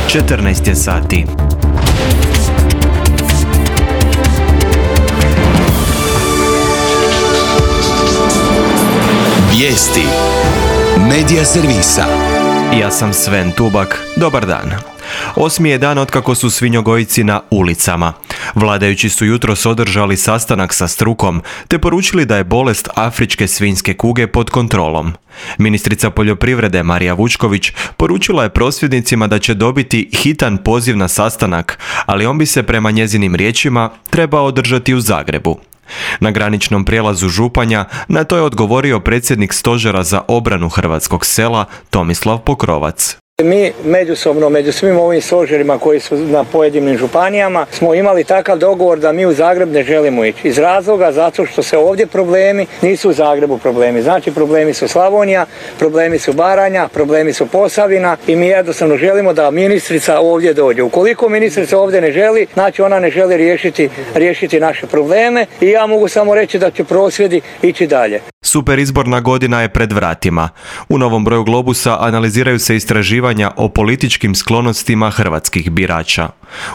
14 je sati. Vijesti Medija servisa. Ja sam Sven Tubak. Dobar dan. 8. je dan otkako su svinjogojci na ulicama. Vladajući su jutros održali sastanak sa strukom, te poručili da je bolest afričke svinjske kuge pod kontrolom. Ministrica poljoprivrede Marija Vučković poručila je prosvjednicima da će dobiti hitan poziv na sastanak, ali on bi se prema njezinim riječima trebao održati u Zagrebu. Na graničnom prijelazu Županja na to je odgovorio predsjednik Stožera za obranu hrvatskog sela Tomislav Pokrovac. Mi međusobno, među svim ovim stožerima koji su na pojedinim županijama, smo imali takav dogovor da mi u Zagreb ne želimo ići. Iz razloga zato što se ovdje problemi nisu u Zagrebu problemi. Znači problemi su Slavonija, problemi su Baranja, problemi su Posavina i mi jednostavno želimo da ministrica ovdje dođe. Ukoliko ministrica ovdje ne želi, znači ona ne želi riješiti naše probleme i ja mogu samo reći da će prosvjedi ići dalje. Super izborna godina je pred vratima. U novom broju Globusa analiziraju se istraživanja o političkim sklonostima hrvatskih birača.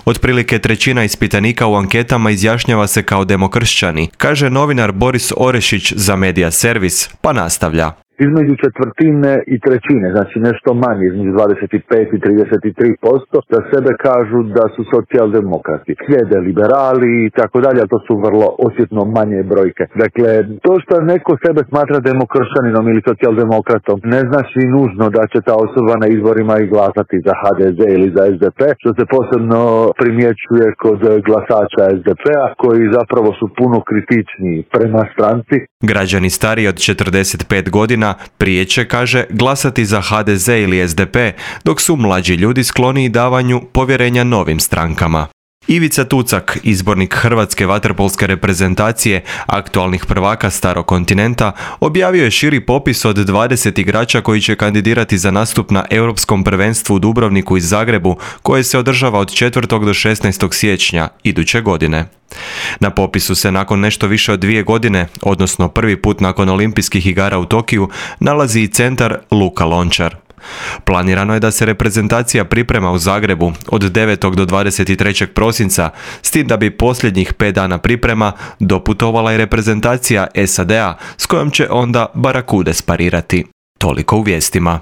Otprilike trećina ispitanika u anketama izjašnjava se kao demokršćani, kaže novinar Boris Orešić za Medija servis, pa nastavlja. Između četvrtine i trećine, znači nešto manje, između 25 i 33%, za sebe kažu da su socijaldemokrati. Slijede liberali i tako dalje, ali to su vrlo osjetno manje brojke. Dakle, to što neko sebe smatra demokršćaninom ili socijaldemokratom ne znači nužno da će ta osoba na izborima i glasati za HDZ ili za SDP, što se posebno primjećuje kod glasača SDP-a, koji zapravo su puno kritičniji prema stranci. Građani stariji od 45 godina prije će, kaže, glasati za HDZ ili SDP, dok su mlađi ljudi skloniji davanju povjerenja novim strankama. Ivica Tucak, izbornik hrvatske vaterpolske reprezentacije, aktualnih prvaka Starog kontinenta, objavio je širi popis od 20 igrača koji će kandidirati za nastup na Europskom prvenstvu u Dubrovniku i Zagrebu, koje se održava od 4. do 16. siječnja iduće godine. Na popisu se nakon nešto više od 2 godine, odnosno prvi put nakon olimpijskih igara u Tokiju, nalazi i centar Luka Lončar. Planirano je da se reprezentacija priprema u Zagrebu od 9. do 23. prosinca, s tim da bi posljednjih 5 dana priprema doputovala i reprezentacija SAD-a s kojom će onda Barakude sparirati. Toliko u vijestima.